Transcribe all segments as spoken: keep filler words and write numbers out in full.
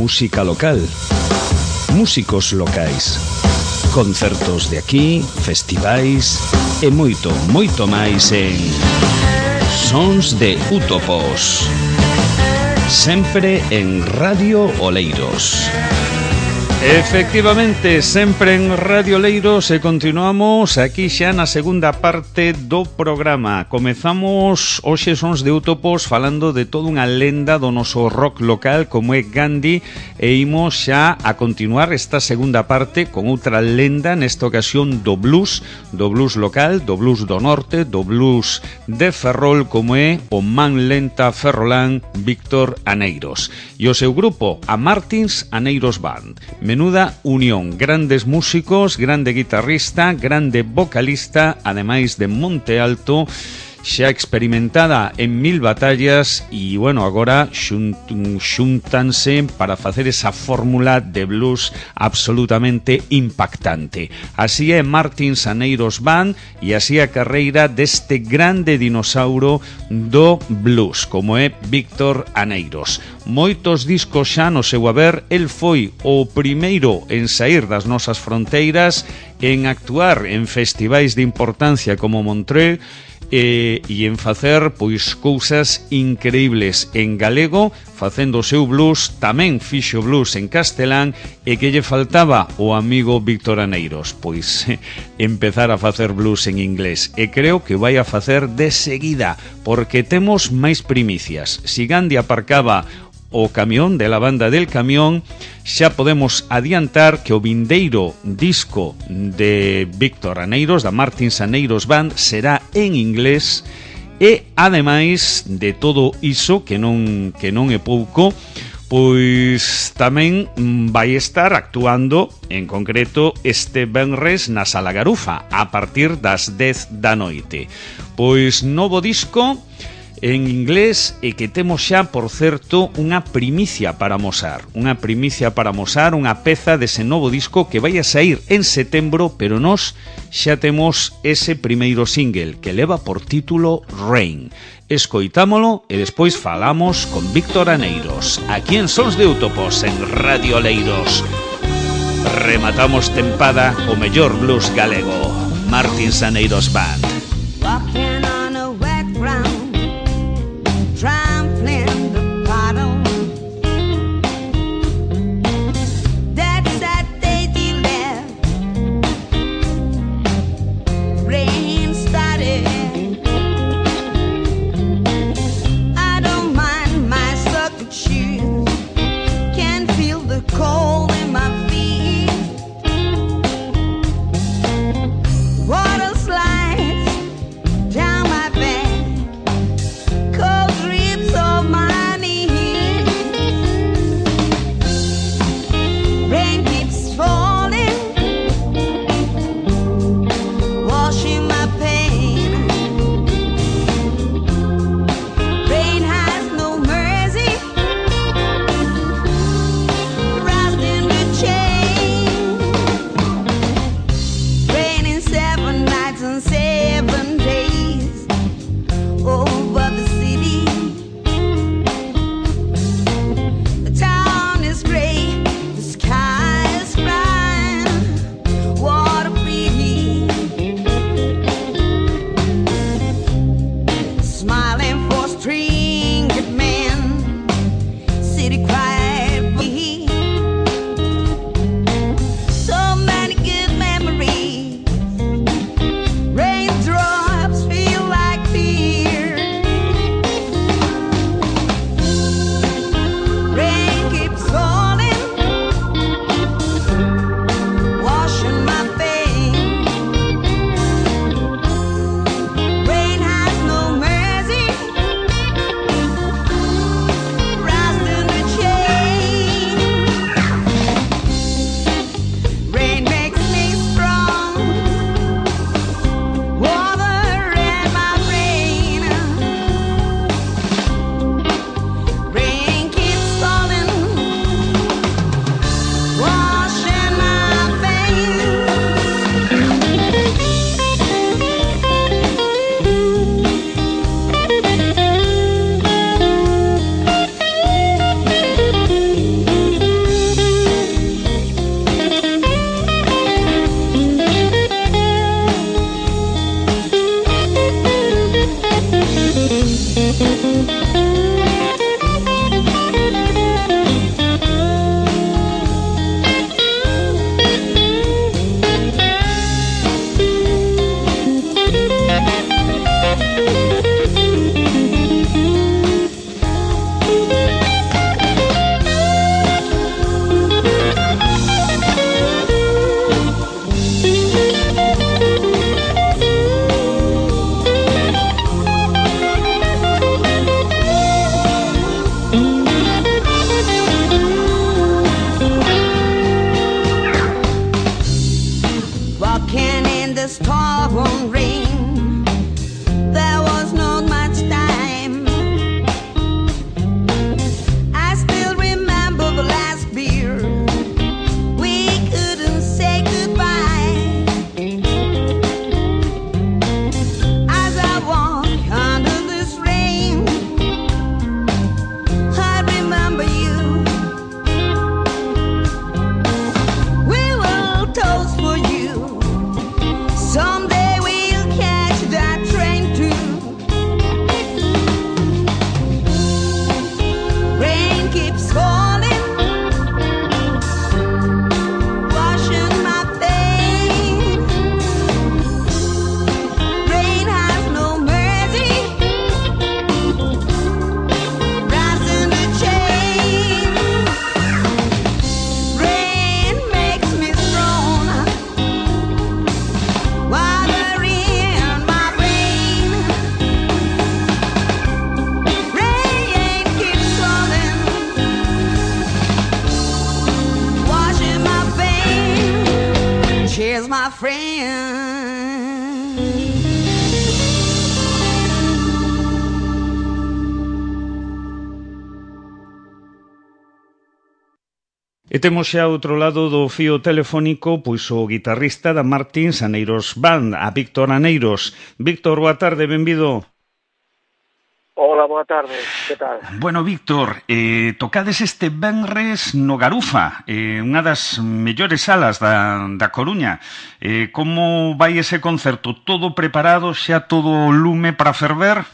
música local, músicos locais, concertos de aquí, festivais e moito, moito máis en Sons de Útopos, sempre en Radio Oleiros. Efectivamente, sempre en Radio Oleiros e continuamos aquí xa na segunda parte do programa. Comezamos hoxe Sons de Útopos falando de toda unha lenda do noso rock local como é Gandhi e imos xa a continuar esta segunda parte con outra lenda, nesta ocasión do blues, do blues local, do blues do norte, do blues de Ferrol como é o man lenta ferrolán Víctor Aneiros e o seu grupo, a Martins Aneiros Band. Menuda unión, grandes músicos, grande guitarrista, grande vocalista, ademais de Monte Alto, xa experimentada en mil batallas e, bueno, agora xunt, xuntanse para facer esa fórmula de blues absolutamente impactante. Así é Martins Aneiros Band e así a carreira deste grande dinosauro do blues, como é Víctor Aneiros. Moitos discos xa no seu haber, el foi o primeiro en sair das nosas fronteiras, en actuar en festivais de importancia como Montreux, E, e en facer pois cousas increíbles en galego, facendo o seu blues, tamén fixo blues en castelán e que lle faltaba o amigo Víctor Aneiros, pois empezar a facer blues en inglés e creo que vai a facer de seguida porque temos máis primicias. Si Gandhi aparcaba o camión de la banda del camión, xa podemos adiantar que o vindeiro disco de Víctor Aneiros, da Martins Aneiros Band, será en inglés e, ademais de todo iso, que non, que non é pouco, pois tamén vai estar actuando, en concreto, este venres na Sala Garufa, a partir das dez da noite. Pois novo disco en inglés e que temos xa, por certo, unha primicia para mosar. Unha primicia para mosar, unha peza dese novo disco que vai a sair en setembro, pero nós xa temos ese primeiro single que leva por título Rain. Escoitámolo e despois falamos con Víctor Aneiros, aquí en Sons de Útopos, en Radio Oleiros. Rematamos tempada o mellor blues galego, Martins Aneiros Band. Trampling the puddle. That's that day you left. Rain started. I don't mind my socket shoes. Can feel the cold in my feet. Water slides down my back. E temos xa outro lado do fío telefónico pois o guitarrista da Martins Aneiros Band, a Víctor Aneiros. Víctor, boa tarde, benvido. Hola, boa tarde, que tal? Bueno, Víctor, eh, tocades este venres no Garufa, eh, unha das mellores salas da, da Coruña. Eh, como vai ese concerto? Todo preparado, xa todo lume para ferver?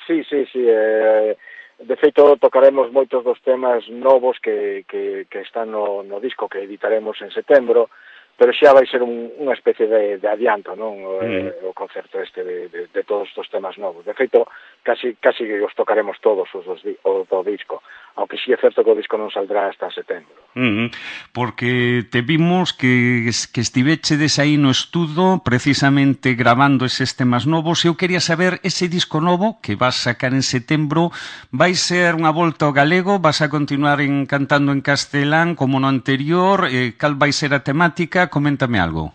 Sí, sí, sí, eh, de feito tocaremos moitos dos temas novos que, que, que están no, no disco que editaremos en setembro, pero xa vai ser un, unha especie de, de adianto, non? O, mm. o concerto este de, de, de todos estos temas novos. De feito, casi, casi os tocaremos todos os, os, os do disco, aunque sí é certo que o disco non saldrá hasta setembro. Mm, porque te vimos que, que estivechedes aí no estudo precisamente grabando eses temas novos. Eu quería saber, ese disco novo que vas sacar en setembro, vai ser unha volta ao galego? Vas a continuar en, cantando en castelán como no anterior? Eh, cal vai ser a temática? Coméntame algo.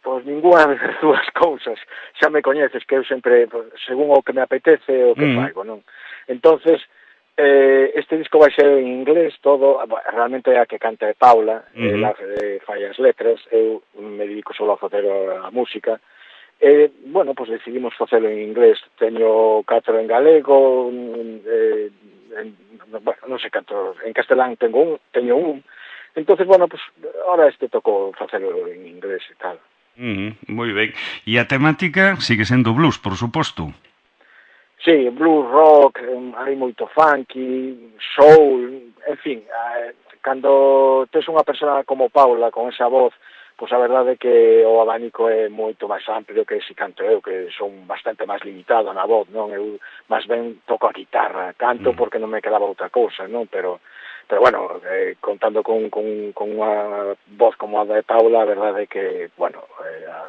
Pois ninguna das dúas cousas. Xa me coñeces que eu sempre, según o que me apetece, o que mm. faigo, non? Entonces, eh, este disco vai ser en inglés todo, realmente é a que canta é Paula, mm. ela eh, fai as letras, eu me dedico solo a facer a música, e, bueno, pois decidimos facelo en inglés. Teño catro en galego, eh, en, bueno, non sei canto, en castelán tengo un, teño un. Entonces, bueno, pues ahora este tocou facelo en inglés e tal. Mm, moi ben. E a temática sigue sendo blues, por suposto. Sí, blues, rock, hai moito funky, soul, en fin, eh, cando tes unha persona como Paula con esa voz, pois a verdade é que o abanico é moito máis amplio que se canto eu, que son bastante máis limitado na voz, non? Eu máis ben toco a guitarra, canto mm. porque non me quedaba outra cousa, non? Pero Pero bueno, eh, contando con, con, con unha voz como a de Paula, a verdade é que, bueno, eh, a,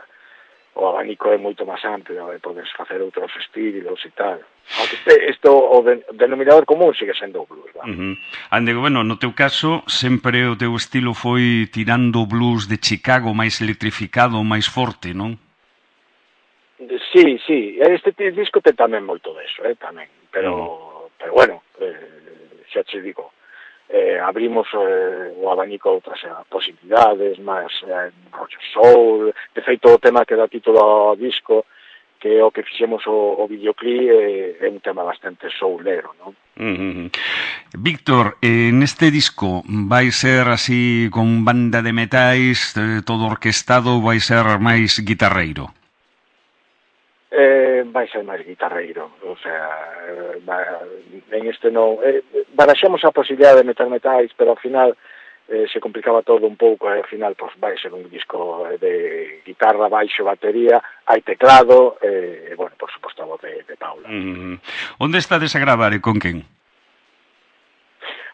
o abanico é moito máis amplio, e podes facer outros estilos e tal. Aunque este, isto, o de, denominador común sigue sendo o blues, va. Uh -huh. Ande, bueno, no teu caso, sempre o teu estilo foi tirando blues de Chicago, máis electrificado, máis forte, non? Sí, sí, este disco ten tamén moito deso, eh, tamén, pero, uh -huh. pero bueno, eh, xa che digo, Eh, abrimos eh, o abanico a outras eh, posibilidades, máis eh, rollo soul. De feito, o tema que dá título ao disco, que é o que fixemos o, o videoclip, eh, é un tema bastante soulero, non? Uh -huh. Víctor, eh, neste disco vai ser así con banda de metais, eh, todo orquestado, vai ser máis guitarreiro? Eh, vai ser máis guitarreiro, o sea, va, en este non, eh, baraxamos a posibilidade de meter metais, pero ao final eh, se complicaba todo un pouco, e ao final pues, vai ser un disco de guitarra, baixo, batería, hai teclado, e, eh, bueno, por suposto a voz de, de Paula. Mm. Onde estades a gravar e con quen?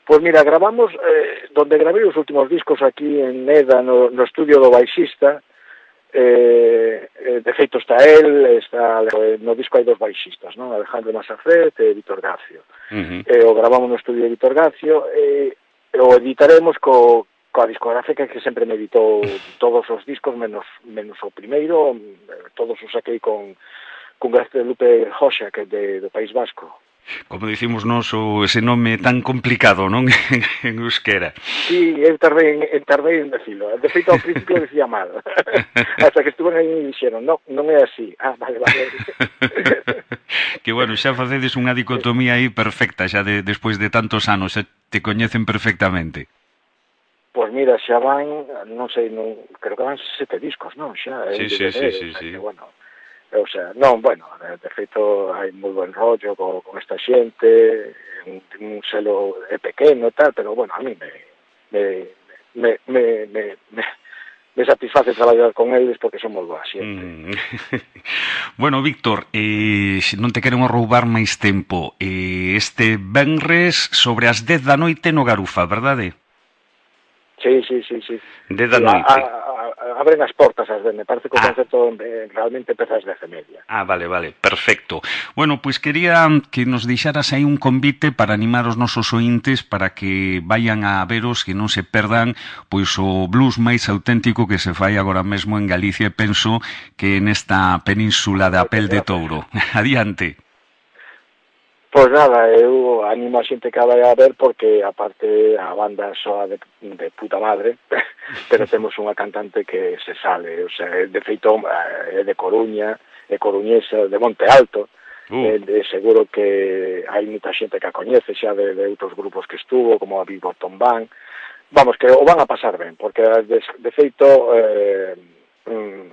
Pois mira, gravamos, eh, donde gravei os últimos discos aquí en Neda, no, no estudio do baixista. Eh, eh, de feito está él, está, no disco hai dos baixistas, non? Alejandro Masafret e Víctor Gacio. Uh -huh. eh, o gravamos no estudio de Víctor Gacio e eh, o editaremos co, coa discográfica que sempre me editou todos os discos menos, menos o primeiro, todos os saquei con, con Lupe Joxa, que é de, do País Vasco. Como dicimos nós, o ese nome tan complicado, non? En euskera. Sí, eu tardei en, tardei en decilo. De feito, ao principio decía mal. Hasta que estuve aí e dixeron, no, non é así. Ah, vale, vale. Que bueno, xa facedes unha dicotomía aí perfecta, xa de, despois de tantos anos, xa te coñecen perfectamente. Pois mira, xa van, non sei, non, creo que van sete discos, non? Xa, sí, sí, sí, sí, sí. Bueno, o sea, non, bueno, de feito hai moi buen rollo con, con esta xente, un, un selo é pequeno e tal, pero bueno, a mí me me, me, me, me, me, me satisface traballar con eles porque son moi boa xente. Mm. Bueno, Víctor, eh, non te queremos roubar máis tempo. Eh, este venres sobre as dez da noite no Garufa, verdade? Sí, sí, sí, sí. dez da noite. A, a, a, abren as portas, as dez, me parece que o ah. concerto eh, realmente empeza ás dez e media. Ah, vale, vale, perfecto. Bueno, pois pues quería que nos deixaras aí un convite para animar os nosos ointes para que vayan a veros, que non se perdan pois o blues máis auténtico que se fai agora mesmo en Galicia, e penso que nesta península da Pel de Touro. Adiante. Pois nada, eu animo a xente que a vai a ver porque aparte a banda soa de, de puta madre, pero temos unha cantante que se sale, o sea, de feito é de Coruña, é coruñesa, de Monte Alto, uh. e, de seguro que hai moita xente que a coñece xa de, de outros grupos que estuvo, como a Big Bottom Band. Vamos, que o van a pasar ben, porque de, de feito eh,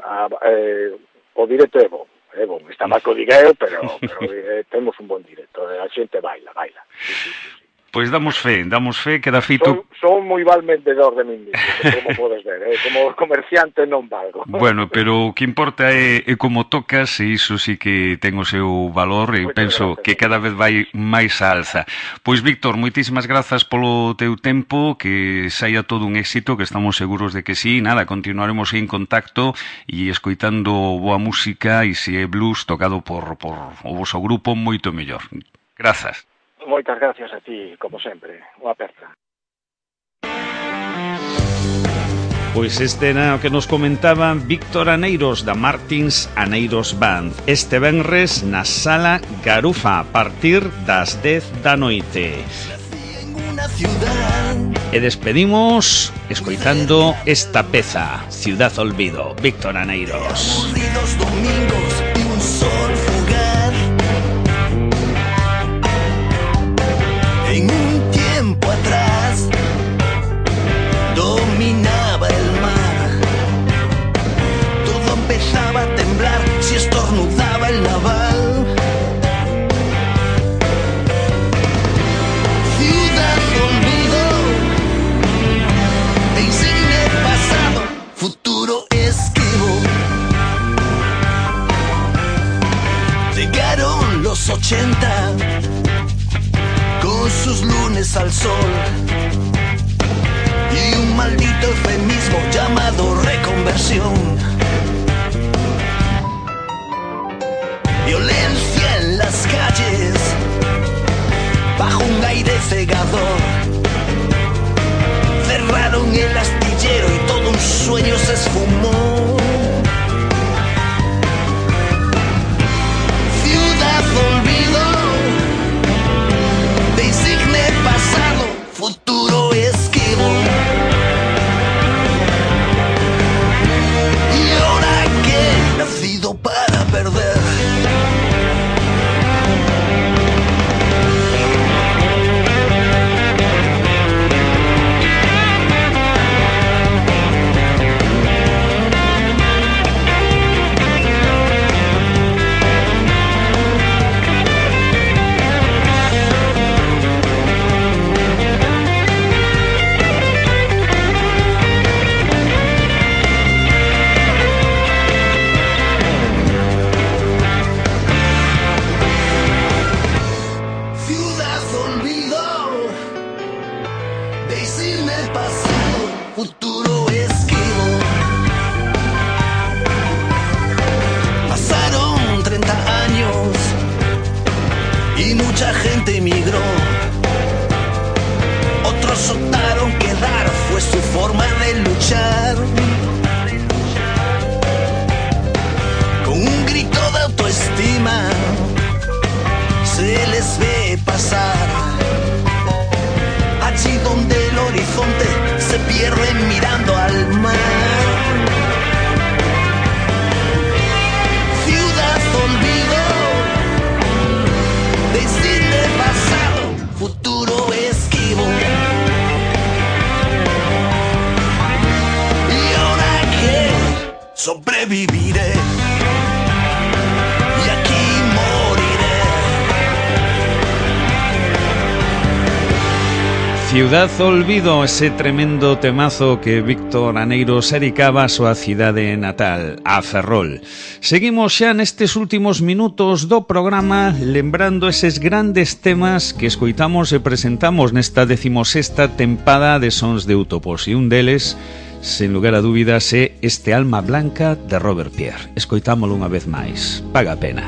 a, eh, o directo é bom. É bom, está mal que o diga eu, pero, pero eh, temos un bon directo, a xente baila, baila. Sí, sí, sí, sí. Pois damos fe, damos fe que da feito... Son, son moi val vendedor de min mismo, como podes ver, eh? Como comerciante non valgo. Bueno, pero o que importa é, é como tocas, e iso sí que ten o seu valor, e penso que cada vez vai máis a alza. Pois, Víctor, moitísimas grazas polo teu tempo, que saia todo un éxito, que estamos seguros de que sí, nada, continuaremos en contacto e escoitando boa música, e se é blues tocado por, por o voso grupo, moito mellor. Grazas. Moitas gracias a ti, como sempre. Unha aperta. Pois este era o que nos comentaba Víctor Aneiros da Martins Aneiros Band. Este venres na Sala Garufa a partir das dez da noite. E despedimos escoitando esta peza, Ciudad Olvido, Víctor Aneiros. En un tiempo atrás dominaba el mar. Todo empezaba a temblar si estornudaba el naval. Ciudad olvido, de insigne pasado, futuro esquivo. Llegaron los ochenta con sus lunes al sol y un maldito eufemismo llamado reconversión. Violencia en las calles bajo un aire cegador. Cerraron el astillero y todo un sueño se esfumó. Ciudad olvido, insigne pasado, futuro esquivo. Y ahora que nacido para perder. Sobreviviré y aquí moriré. Ciudad Olvido, ese tremendo temazo que Víctor Aneiros dedicaba a súa cidade natal, a Ferrol. Seguimos xa nestes últimos minutos do programa lembrando eses grandes temas que escoitamos e presentamos nesta decimosexta tempada de Sons de Útopos, e un deles, sen lugar a dúbidas, é este Alma Blanca de Robert Pierre. Escoitámolo unha vez máis. Paga a pena.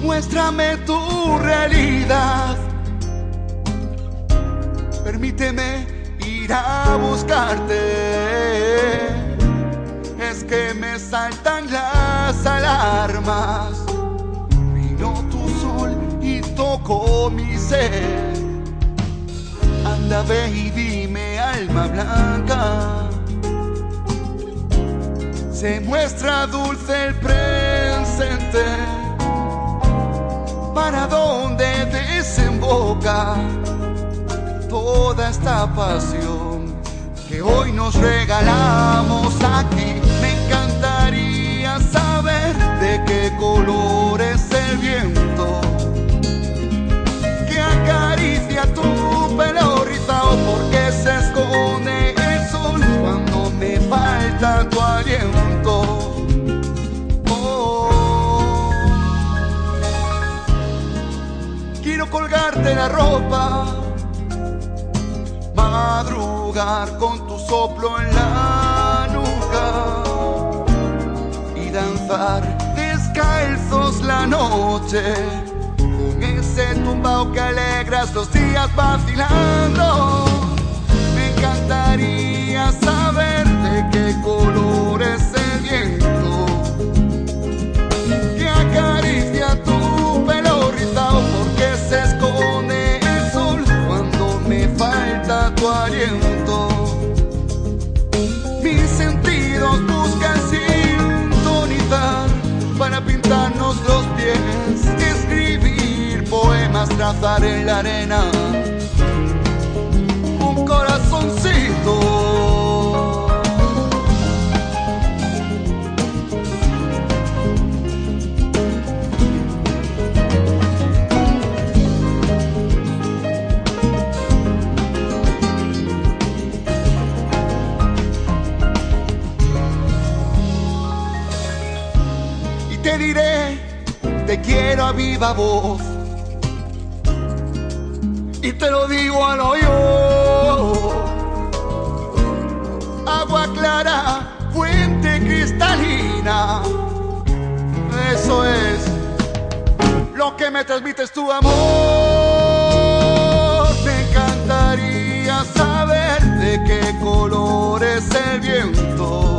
Muéstrame tu realidad. Permíteme ir a buscarte. Es que saltan las alarmas. Vino tu sol y tocó mi ser. Anda, ve y dime, alma blanca. Se muestra dulce el presente. ¿Para dónde desemboca toda esta pasión que hoy nos regalamos aquí? Me encantaría saber de qué color es el viento que acaricia tu pelo rizado, porque se esconde el sol cuando me falta tu aliento. Quiero colgarte la ropa, madrugar con tu soplo en la nuca y danzar descalzos la noche con ese tumbao que alegras los días vacilando. Me encantaría saber de qué color es el viento que acaricia tu pelo rizado, porque se esconde el sol cuando me falta tu aliento. Mis sentidos buscan sintonizar para pintarnos los pies, escribir poemas, trazar en la arena un corazoncito. Te diré, te quiero a viva voz, y te lo digo al oído. Agua clara, fuente cristalina, eso es lo que me transmites tu amor. Me encantaría saber de qué color es el viento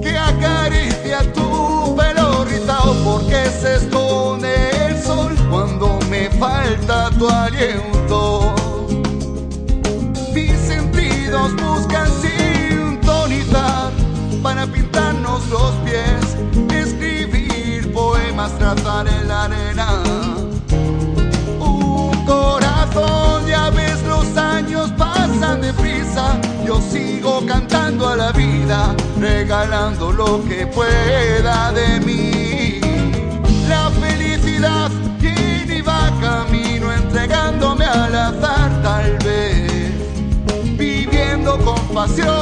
que acaricia tu pelo rizado, porque se esconde el sol cuando me falta tu aliento. Mis sentidos buscan sintonizar para pintarnos los pies, escribir poemas, trazar en la arena un corazón. Ya ves, los años pasan deprisa, yo sigo cantando a la vida, regalando lo que pueda de mí. La felicidad viene y va camino, entregándome al azar, tal vez viviendo con pasión.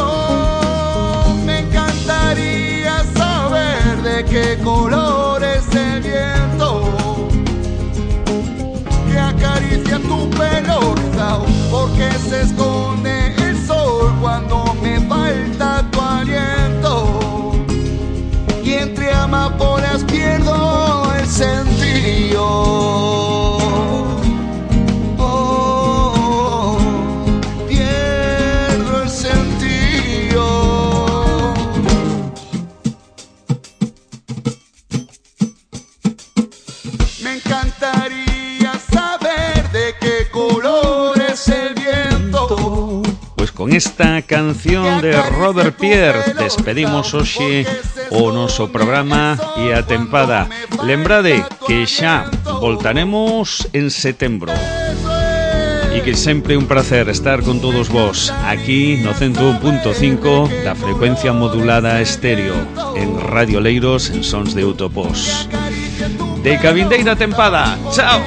Me encantaría saber de qué color es el viento que acaricia tu pelo rizado, porque se esconde el sol cuando me falta tu aliento, y entre amapolas pierdo el sentido. Oh, pierdo el sentido. Me encantaría saber de qué color es el viento. Pues con esta canción de Robert Pierre despedimos hoxe o noso programa e a tempada. Lembrade que xa voltaremos en setembro e que sempre un placer estar con todos vos aquí no ciento un punto cinco da frecuencia modulada estéreo en Radio Leiros en Sons de Utopos. De Cabindeira tempada. Chao.